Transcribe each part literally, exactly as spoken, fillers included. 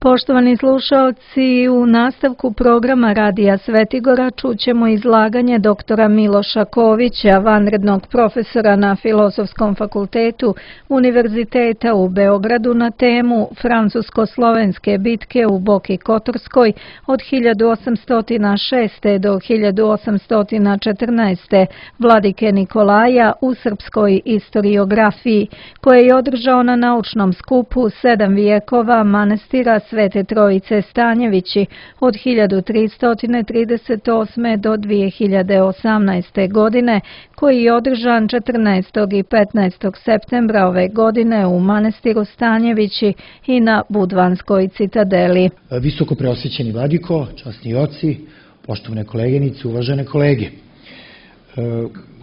Poštovani slušaoci, u nastavku programa Radija Svetigora čućemo izlaganje doktora Miloša Kovića, vanrednog profesora na Filozofskom fakultetu Univerziteta u Beogradu na temu Francusko-slovenske bitke u Boki Kotorskoj od hiljadu osamsto šeste. do hiljadu osamsto četrnaeste. Vladike Nikolaja u srpskoj istoriografiji, koje je održao na naučnom skupu Sedam vijekova manastira Svete Trojice Stanjevići od hiljadu tristo trideset osme. do dve hiljade osamnaeste. godine, koji je održan četrnaestog i petnaestog septembra ove godine u manastiru Stanjevići i na Budvanskoj citadeli. Visoko preosvećeni vladiko, časni oci, poštovane koleginice, uvažene kolege. E,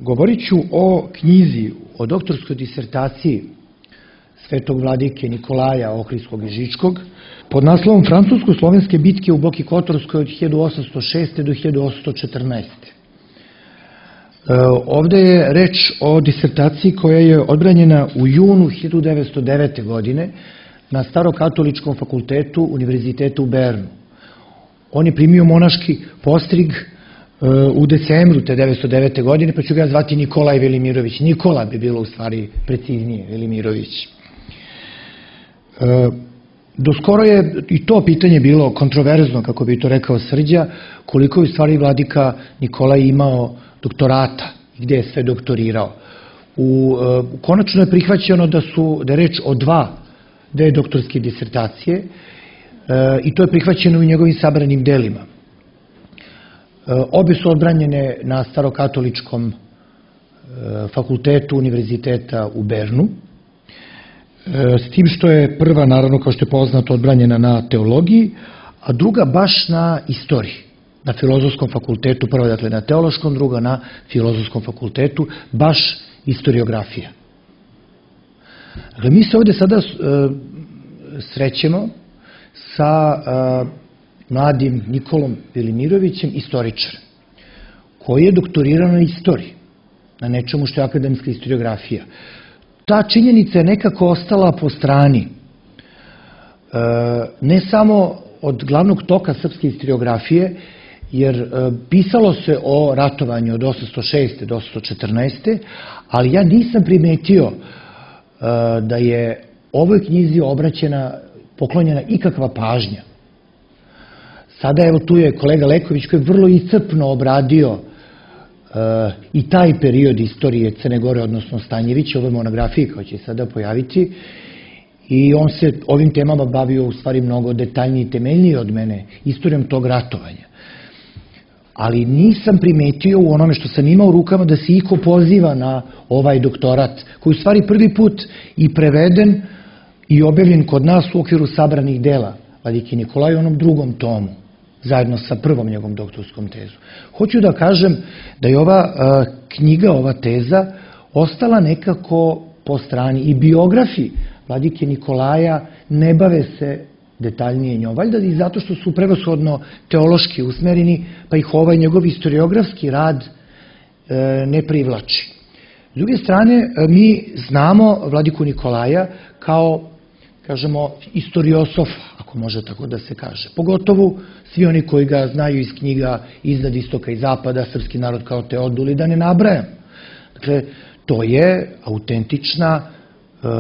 govorit ću o knjizi, o doktorskoj disertaciji svetog vladike Nikolaja Ohridskog i Žičkog pod naslovom Francusko-slovenske bitke u Boki Kotorskoj od hiljadu osamsto šeste. do hiljadu osamsto četrnaeste. E, ovde je reč o disertaciji koja je odbranjena u junu hiljadu devetsto devete. godine na Starokatoličkom fakultetu Univerziteta u Bernu. On je primio monaški postrig u decembru te devetsto devete. godine, pa ću ga zvati Nikolaj Velimirović. Nikola bi bilo u stvari preciznije, Velimirović. Doskoro je i to pitanje bilo kontroverzno, kako bi to rekao Srđa, koliko je u stvari vladika Nikolaj imao doktorata i gde je sve doktorirao. U, konačno je prihvaćeno da su da je reč o dva dve doktorske disertacije i to je prihvaćeno u njegovim sabranim delima. Obe su odbranjene na Starokatoličkom fakultetu Univerziteta u Bernu, s tim što je prva, naravno, kao što je poznato, odbranjena na teologiji, a druga baš na istoriji, na Filozofskom fakultetu, prva dakle na teološkom, druga na Filozofskom fakultetu, baš istoriografija. Dakle, mi se ovde sada srećemo sa mladim Nikolom Velimirovićem, istoričarem, koji je doktorirao na istoriji, na nečemu što je akademska istoriografija. Ta činjenica je nekako ostala po strani, ne samo od glavnog toka srpske istoriografije, jer pisalo se o ratovanju od osamsto šeste. do osamsto četrnaeste. ali ja nisam primetio da je ovoj knjizi obraćena, poklonjena ikakva pažnja. Sada evo tu je kolega Leković koji je vrlo iscrpno obradio i taj period istorije Crne Gore, odnosno Stanjevića, ove monografije koja će sada pojaviti, i on se ovim temama bavio u stvari mnogo detaljnije i temeljnije od mene, istorijom tog ratovanja. Ali nisam primetio u onome što sam imao u rukama da se iko poziva na ovaj doktorat, koji u stvari prvi put i preveden i objavljen kod nas u okviru sabranih dela vladike Nikolaja u onom drugom tomu, zajedno sa prvom njegovom doktorskom tezom. Hoću da kažem da je ova knjiga, ova teza, ostala nekako po strani i biografi vladike Nikolaja ne bave se detaljnije njom, valjda i zato što su prevashodno teološki usmereni, pa ih ovaj njegov istoriografski rad ne privlači. S druge strane, mi znamo vladiku Nikolaja kao, kažemo, istoriosofa, ako može tako da se kaže. Pogotovo svi oni koji ga znaju iz knjiga Iznad istoka i zapada, Srpski narod kao Teodul, i da ne nabrajam. Dakle, to je autentična uh,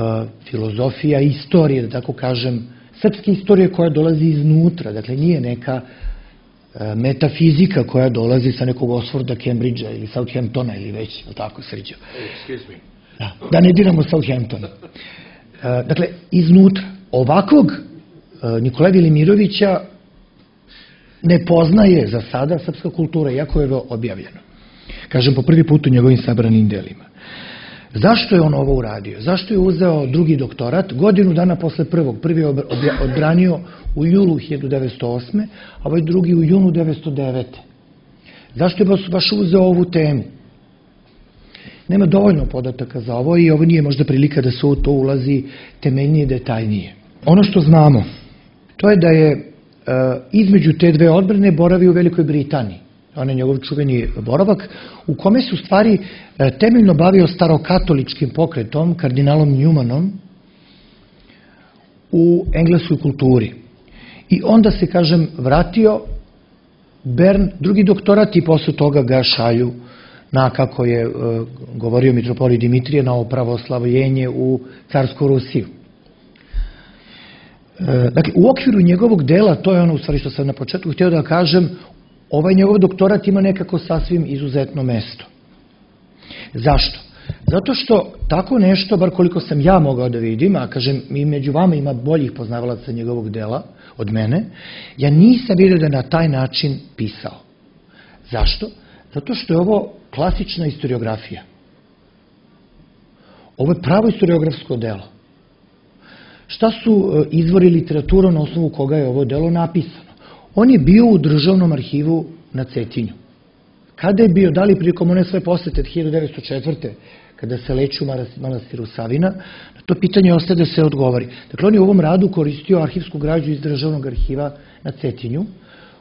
filozofija istorije, da tako kažem, srpske istorije koja dolazi iznutra. Dakle, nije neka uh, metafizika koja dolazi sa nekog Oxforda, Cambridgea ili Southamptona ili već, tako Srđo. Excuse me. Da, da ne diramo Southamptona. Uh, dakle, iznutra. Ovakvog Nikolaja Velimirovića ne poznaje za sada srpska kultura, iako je objavljeno. Kažem, po prvi put u njegovim sabranim delima. Zašto je on ovo uradio? Zašto je uzeo drugi doktorat? Godinu dana posle prvog. Prvi je odbranio u julu hiljadu devetsto osme. a ovaj drugi u junu devetsto devete. Zašto je baš uzeo ovu temu? Nema dovoljno podataka za ovo i ovo nije možda prilika da se u to ulazi temeljnije i detaljnije. Ono što znamo, to je da je e, između te dve odbrane boravio u Velikoj Britaniji. On je njegov čuveni boravak, u kome se u stvari e, temeljno bavio starokatoličkim pokretom, kardinalom Newmanom, u engleskoj kulturi. I onda se, kažem, vratio Bern, drugi doktorat i posle toga ga šalju na, kako je govorio mitropolit Dimitrije, na opravoslavljenje u carsku Rusiju. Dakle, u okviru njegovog dela, to je ono u stvari što sam na početku htio da kažem, ovaj njegov doktorat ima nekako sasvim izuzetno mesto. Zašto? Zato što tako nešto, bar koliko sam ja mogao da vidim, a kažem, i među vama ima boljih poznavalaca njegovog dela od mene, ja nisam vidio da je na taj način pisao. Zašto? Zato što je ovo klasična historiografija. Ovo je pravo historiografsko delo. Šta su izvori literatura na osnovu koga je ovo delo napisano? On je bio u Državnom arhivu na Cetinju. Kada je bio, da li prilikom one svoje posete hiljadu devetsto četvrte. kada se leči u manastiru Savina, na to pitanje ostaje da se odgovori. Dakle, on je u ovom radu koristio arhivsku građu iz Državnog arhiva na Cetinju,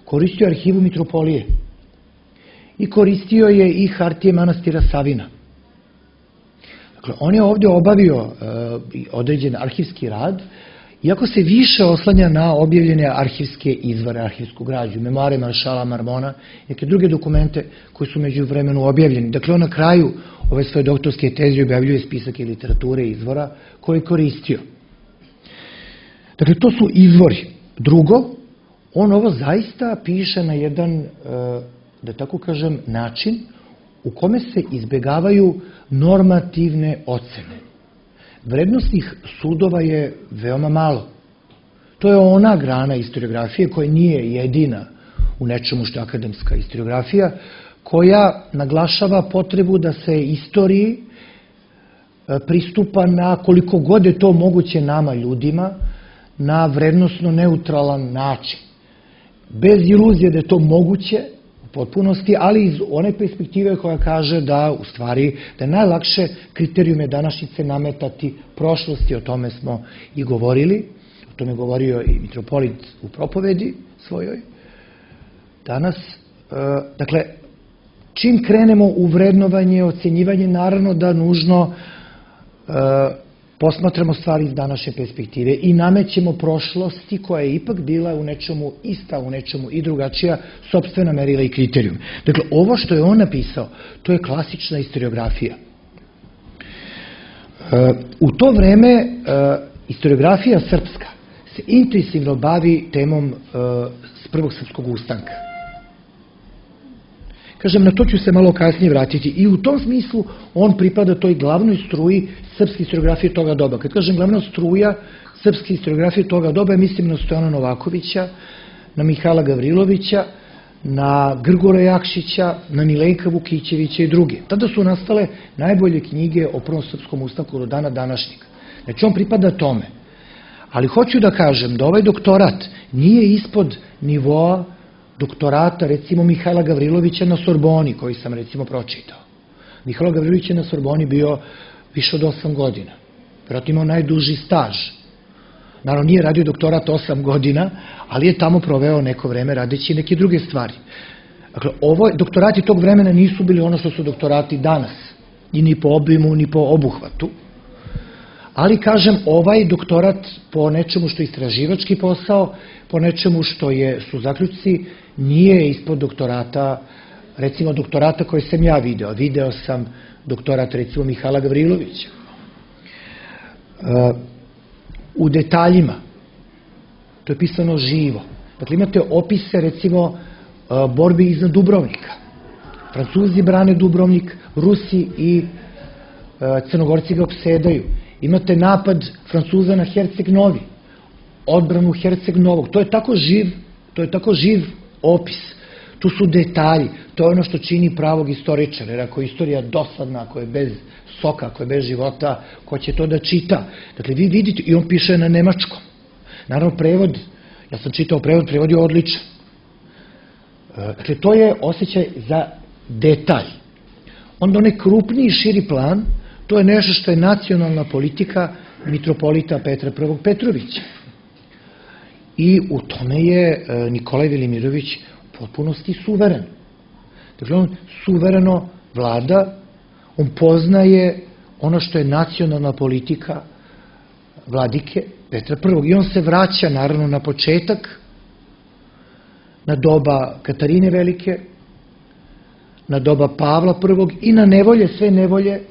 koristio arhivu Mitropolije i koristio je i hartije manastira Savina. Dakle, on je ovdje obavio određen arhivski rad, iako se više oslanja na objavljene arhivske izvore, arhivsku građu, memoare maršala Marmona i neke druge dokumente koji su među vremenu objavljeni. Dakle, on na kraju ove svoje doktorske teze objavljuje spisak i literature izvora koje je koristio. Dakle, to su izvori. Drugo, on ovo zaista piše na jedan, da tako kažem, način u kome se izbegavaju normativne ocene. Vrednostnih sudova je veoma malo. To je ona grana historiografije koja nije jedina u nečemu što je akademska historiografija, koja naglašava potrebu da se istoriji pristupa na koliko god je to moguće nama ljudima, na vrednostno neutralan način. Bez iluzije da je to moguće u potpunosti, ali iz one perspektive koja kaže da u stvari da je najlakše kriterijume današnjice nametati prošlosti, o tome smo i govorili, o tome je govorio i mitropolit u propovedi svojoj danas. Dakle, čim krenemo u vrednovanje, ocenjivanje, naravno da nužno posmatramo stvari iz današnje perspektive i namećemo prošlosti koja je ipak bila u nečemu ista, u nečemu i drugačija, sopstvena merila i kriterijum. Dakle, ovo što je on napisao, to je klasična historiografija. U to vreme historiografija srpska se intenzivno bavi temom s prvog srpskog ustanka. Kažem, na to ću se malo kasnije vratiti. I u tom smislu on pripada toj glavnoj struji srpske historiografije toga doba. Kad kažem glavna struja srpske historiografije toga doba, mislim na Stojana Novakovića, na Mihajla Gavrilovića, na Grgora Jakšića, na Milejka Vukićevića i druge. Tada su nastale najbolje knjige o prvom srpskom ustanku do dana današnjeg. Znači, on pripada tome. Ali hoću da kažem da ovaj doktorat nije ispod nivoa doktorata, recimo, Mihajla Gavrilovića na Sorboni, koji sam, recimo, pročitao. Mihajlo Gavrilović je na Sorboni bio više od osam godina. Vjerojatno imao najduži staž. Naravno, nije radio doktorat osam godina, ali je tamo proveo neko vreme radeći neke druge stvari. Dakle, ovo, doktorati tog vremena nisu bili ono što su doktorati danas. I ni po obimu, ni po obuhvatu. Ali, kažem, ovaj doktorat po nečemu što je istraživački posao, po nečemu što je, su zaključci, nije ispod doktorata, recimo doktorata koje sam ja video. Video sam doktorat, recimo, Mihajla Gavrilovića. U detaljima, to je pisano živo. Dakle, imate opise, recimo, borbi iznad Dubrovnika. Francuzi brane Dubrovnik, Rusi i Crnogorci ga opsedaju. Imate napad Francuza na Herceg Novi, odbranu Herceg Novog. To je tako živ, to je tako živ opis. Tu su detalji. To je ono što čini pravog istoričara. Jer ako je istorija dosadna, ako je bez soka, ako je bez života, ko će to da čita? Dakle, vi vidite, i on piše na nemačkom. Naravno, prevod, ja sam čitao prevod, prevod je odličan. Dakle, to je osjećaj za detalj. Onda onaj krupniji, širi plan, to je nešto što je nacionalna politika mitropolita Petra prvog Petrovića. I u tome je Nikolaj Velimirović u potpunosti suveren. Dakle, on suvereno vlada, on poznaje ono što je nacionalna politika vladike Petra prvog. I on se vraća, naravno, na početak na doba Katarine Velike, na doba Pavla prvog i na nevolje, sve nevolje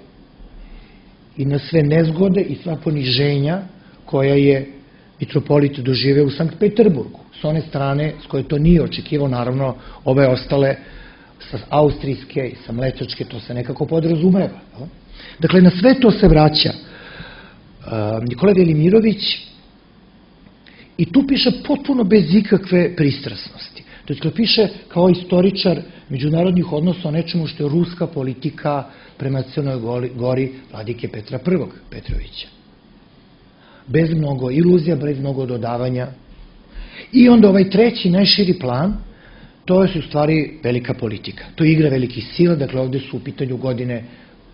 i na sve nezgode i sva poniženja koja je mitropolit doživeo u Sankt Peterburgu. S one strane s koje to nije očekivao, naravno, ove ostale sa austrijske i sa mlečačke, to se nekako podrazumeva. Dakle, na sve to se vraća Nikola Velimirović i tu piše potpuno bez ikakve pristrasnosti. Dakle, piše kao istoričar međunarodnih odnosa o nečemu što je ruska politika prema Crnoj Gori vladike Petra prvog Petrovića. Bez mnogo iluzija, bez mnogo dodavanja. I onda ovaj treći, najširi plan, to je u stvari velika politika. To je igra velikih sila, dakle ovde su u pitanju godine,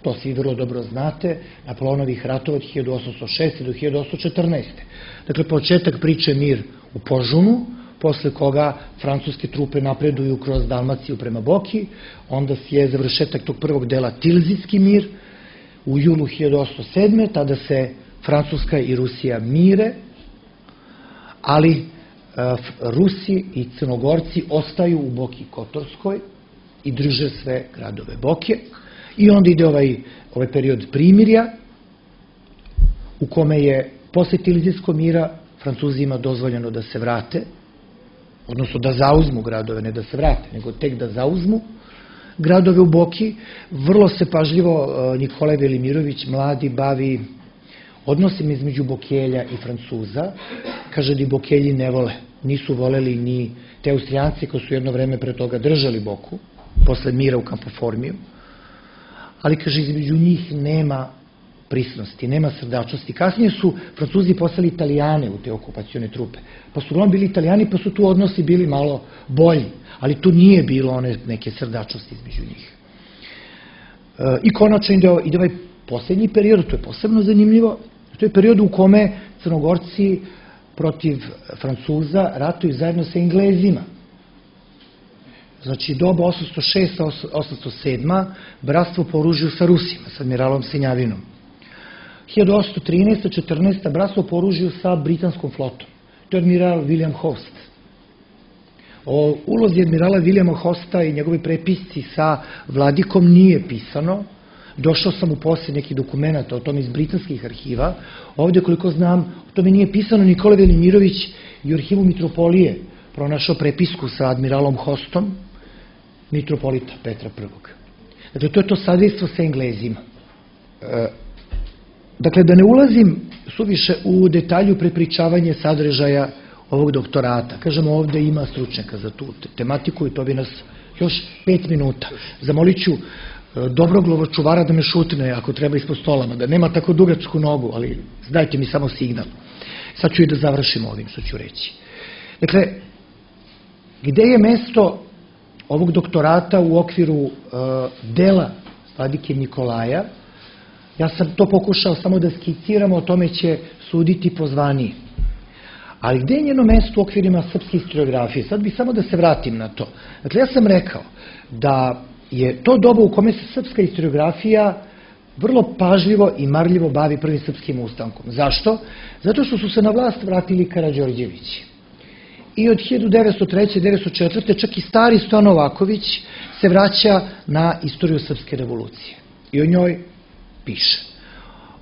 to svi vrlo dobro znate, Napoleonovih ratova od hiljadu osamsto šeste do hiljadu osamsto četrnaeste. Dakle, početak priče mir u Požunu, posle koga francuske trupe napreduju kroz Dalmaciju prema Boki, onda je završetak tog prvog dela Tilzitski mir u julu hiljadu osamsto sedme. Tada se Francuska i Rusija mire, ali Rusi i Crnogorci ostaju u Boki Kotorskoj i drže sve gradove Boke. I onda ide ovaj, ovaj period primirja u kome je posle Tilzitskog mira Francuzima dozvoljeno da se vrate, odnosno da zauzmu gradove, ne da se vrate, nego tek da zauzmu gradove u Boki. Vrlo se pažljivo Nikola Velimirović, mladi, bavi odnosima između Bokelja i Francuza. Kaže da i Bokelji ne vole, nisu voleli ni te Austrijanci koji su jedno vreme pre toga držali Boku, posle mira u Kampoformiju, ali kaže između njih nema prisnosti, nema srdačnosti. Kasnije su Francuzi poslali Italijane u te okupacione trupe, pa su uglavnom bili Italijani, pa su tu odnosi bili malo bolji, ali tu nije bilo one neke srdačnosti između njih. I konačno ide ovaj poslednji period, to je posebno zanimljivo, to je period u kome Crnogorci protiv Francuza ratuju zajedno sa Englezima. Znači, doba osamsto šesta do osamsto sedma. bratstvo po oružju sa Rusima, sa admiralom Senjavinom. hiljadu osamsto trinaesta do četrnaeste. bratstvo po oružju sa britanskom flotom. To je admiral William Host. O ulozi admirala Williama Hosta i njegovi prepisci sa vladikom nije pisano. Došao sam u posjed nekih dokumenta o tome iz britanskih arhiva. Ovde, koliko znam, o tome nije pisano. Nikola Velimirović i u arhivu Mitropolije pronašao prepisku sa admiralom Hostom, mitropolita Petra prvog. Dakle, to je to sadejstvo sa Englezima. Dakle, da ne ulazim suviše u detalju prepričavanje sadržaja ovog doktorata. Kažemo, ovde ima stručnjaka za tu tematiku i to bi nas još pet minuta. Zamolit ću dobrog lovočuvara da me šutne ako treba ispod stolama, da nema tako dugačku nogu, ali dajte mi samo signal. Sad ću i da završim ovim što ću reći. Dakle, gde je mesto ovog doktorata u okviru dela vladike Nikolaja? Ja sam to pokušao samo da skiciramo, o tome će suditi pozvaniji. Ali gde je njeno mesto u okvirima srpske historiografije? Sad bih samo da se vratim na to. Dakle, ja sam rekao da je to doba u kome se srpska historiografija vrlo pažljivo i marljivo bavi prvim srpskim ustankom. Zašto? Zato što su se na vlast vratili Karađorđevići. I od hiljadu devetsto treće do devetsto četvrte. čak i stari Stojan Novaković se vraća na istoriju srpske revolucije. I o njoj piše.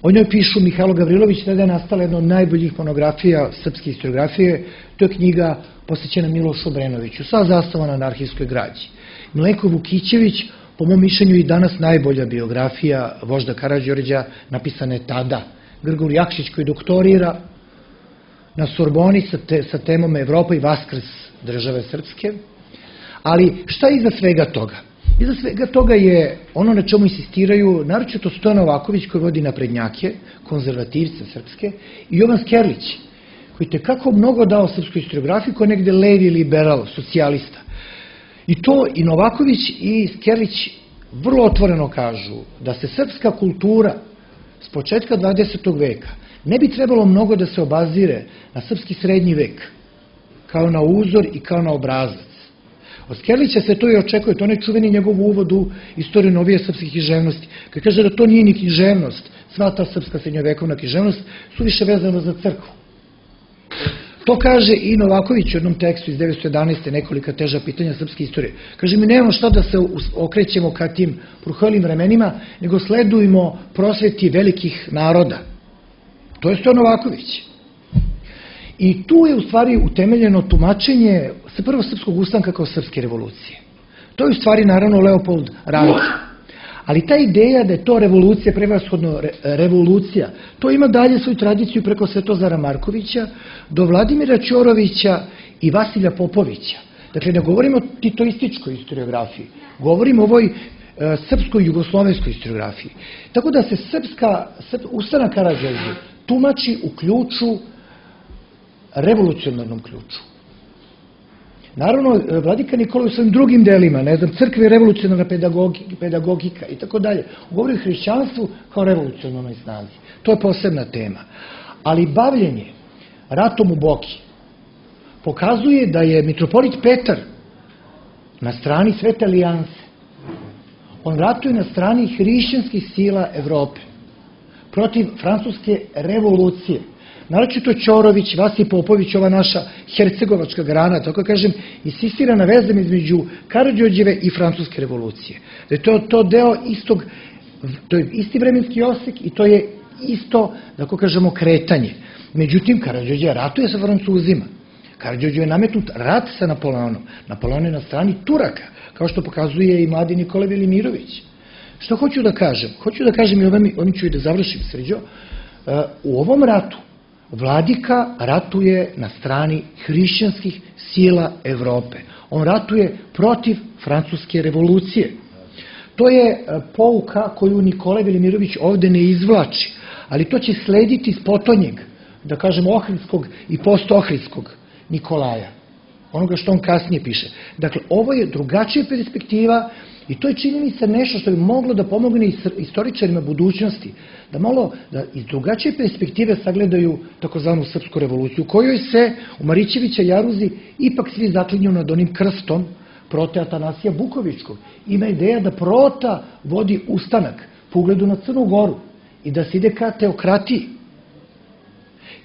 O njoj pišu Mihajlo Gavrilović, tada je nastala jedna od najboljih monografija srpske historiografije. To je knjiga posvećena Milošu Obrenoviću, sva zasnovana na arhivskoj građi. Milenko Vukićević, po mom mišljenju i danas najbolja biografija vožda Karađorđa, napisana je tada. Grgur Jakšić koji doktorira na Sorboni sa, te, sa temom Evropa i vaskrs države srpske. Ali šta je iza svega toga? Iza svega toga je ono na čemu insistiraju, naročito Stojan Novaković koji vodi naprednjake, konzervativce srpske, i Jovan Skerlić, koji tekako mnogo dao srpskoj historiografiji, koji je negde levi liberal, socijalista. I to i Novaković i Skerlić vrlo otvoreno kažu da se srpska kultura s početka dvadesetog veka ne bi trebalo mnogo da se obazire na srpski srednji vek, kao na uzor i kao na obrazac. Od Skerlića se to i očekuje, to ne čuveni njegov uvod u istoriju novije srpske književnosti, kad kaže da to nije ni književnost, sva ta srpska srednjovekovna književnost su više vezano za crkvu. To kaže i Novaković u jednom tekstu iz devetsto jedanaeste. nekolika teža pitanja srpske istorije. Kaže, mi nemamo šta da se okrećemo ka tim prohvalim vremenima, nego sledujemo prosveti velikih naroda. To je Stojan Novaković. I tu je u stvari utemeljeno tumačenje prvo srpskog ustanka kao srpske revolucije. To je u stvari naravno Leopold Ranke. Ali ta ideja da je to revolucija, prevashodno revolucija, to ima dalje svoju tradiciju preko Svetozara Markovića do Vladimira Ćorovića i Vasilja Popovića. Dakle, ne govorimo o titoističkoj historiografiji, govorimo o ovoj srpskoj jugoslovenskoj historiografiji. Tako da se srpska, ustanak Karađorđe tumači u ključu, revolucionarnom ključu. Naravno, vladika Nikola u svojim drugim delima, ne znam, crkve i revolucionarna pedagogika i tako dalje, govori o hrišćanstvu kao revolucionarnoj snazi. To je posebna tema. Ali bavljenje ratom u Boki pokazuje da je mitropolit Petar na strani Svete alijanse. On ratuje na strani hrišćanskih sila Evrope protiv francuske revolucije. Naročito Ćorović, Vasilij Popović, ova naša hercegovačka grana, tako kažem, insistira na vezama između Karađorđeve i francuske revolucije. Da je to, to deo istog, to je isti vremenski osek i to je isto, tako kažemo, kretanje. Međutim, Karađorđe ratuje sa Francuzima. Karađorđe je nametnut rat sa Napoleonom. Napoleon je na strani Turaka, kao što pokazuje i mladi Nikola Velimirović. Što hoću da kažem? Hoću da kažem i ovim, ovim ću i da završim, Srđo. U ovom ratu vladika ratuje na strani hrišćanskih sila Evrope. On ratuje protiv francuske revolucije. To je pouka koju Nikola Velimirović ovde ne izvlači, ali to će slediti s potonjeg, da kažemo, ohridskog i postohridskog Nikolaja. Onoga što on kasnije piše. Dakle, ovo je drugačija perspektiva i to je, čini mi se, nešto što bi moglo da pomogne istoričarima budućnosti, da malo da iz drugačije perspektive sagledaju takozvanu srpsku revoluciju, u kojoj se u Marićevića Jaruzi ipak svi zaklinju nad onim krstom prote Atanasija Bukovičkog. Ima ideja da Prota vodi ustanak po ugledu na Crnu Goru i da se ide ka teokratiji.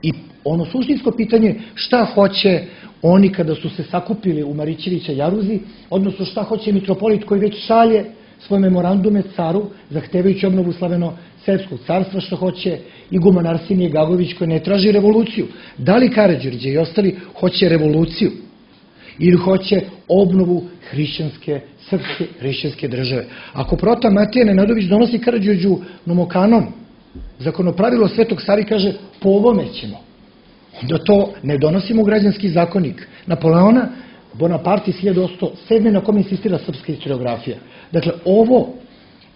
I ono suštinsko pitanje, šta hoće oni kada su se sakupili u Marićevića Jaruzi, odnosno šta hoće mitropolit koji već šalje svoje memorandume caru, zahtevajući obnovu slaveno-srpskog carstva, što hoće iguman Arsenije Gagović koji ne traži revoluciju. Da li Karađorđe i ostali hoće revoluciju ili hoće obnovu hrišćanske, srpske hrišćanske države? Ako prota Matija Nenadović donosi Karađorđu nomokanon, zakonopravilo Svetog Save kaže po ovome ćemo, onda to ne donosimo u građanski zakonik Napoleona Bonaparte iz hiljadu osamsto sedme. na kom insistira srpska historiografija. Dakle, ovo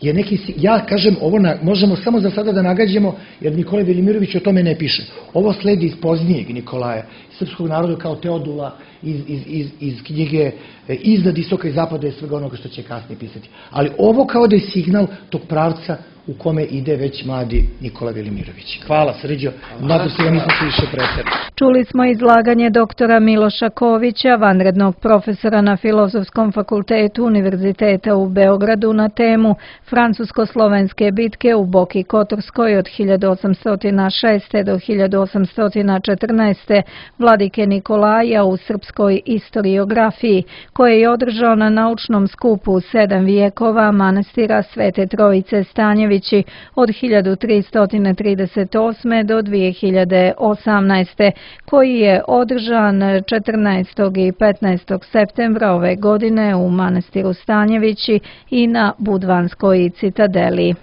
je neki, ja kažem, ovo na, možemo samo za sada da nagađamo, jer Nikola Velimirović o tome ne piše. Ovo sledi iz poznijeg Nikolaja, srpskog naroda kao Teodula, iz, iz, iz, iz knjige Iznad istoka i zapada i svega onoga što će kasnije pisati. Ali ovo kao da je signal tog pravca u kome ide već mladi Nikola Velimirović. Hvala, Srđo. Nadam se da nisam se više preterao. Čuli smo izlaganje doktora Miloša Kovića, vanrednog profesora na Filozofskom fakultetu Univerziteta u Beogradu na temu Francusko-slovenske bitke u Boki Kotorskoj od hiljadu osamsto šeste. do hiljadu osamsto četrnaeste. vladike Nikolaja u srpskoj historiografiji, koje je održao na naučnom skupu sedam vijekova manastira Svete Trojice Stanjevići od hiljadu tristo trideset osme. do dve hiljade osamnaeste. koji je održan četrnaestog i petnaestog septembra ove godine u manastiru Stanjevići i na Budvanskoj citadeli.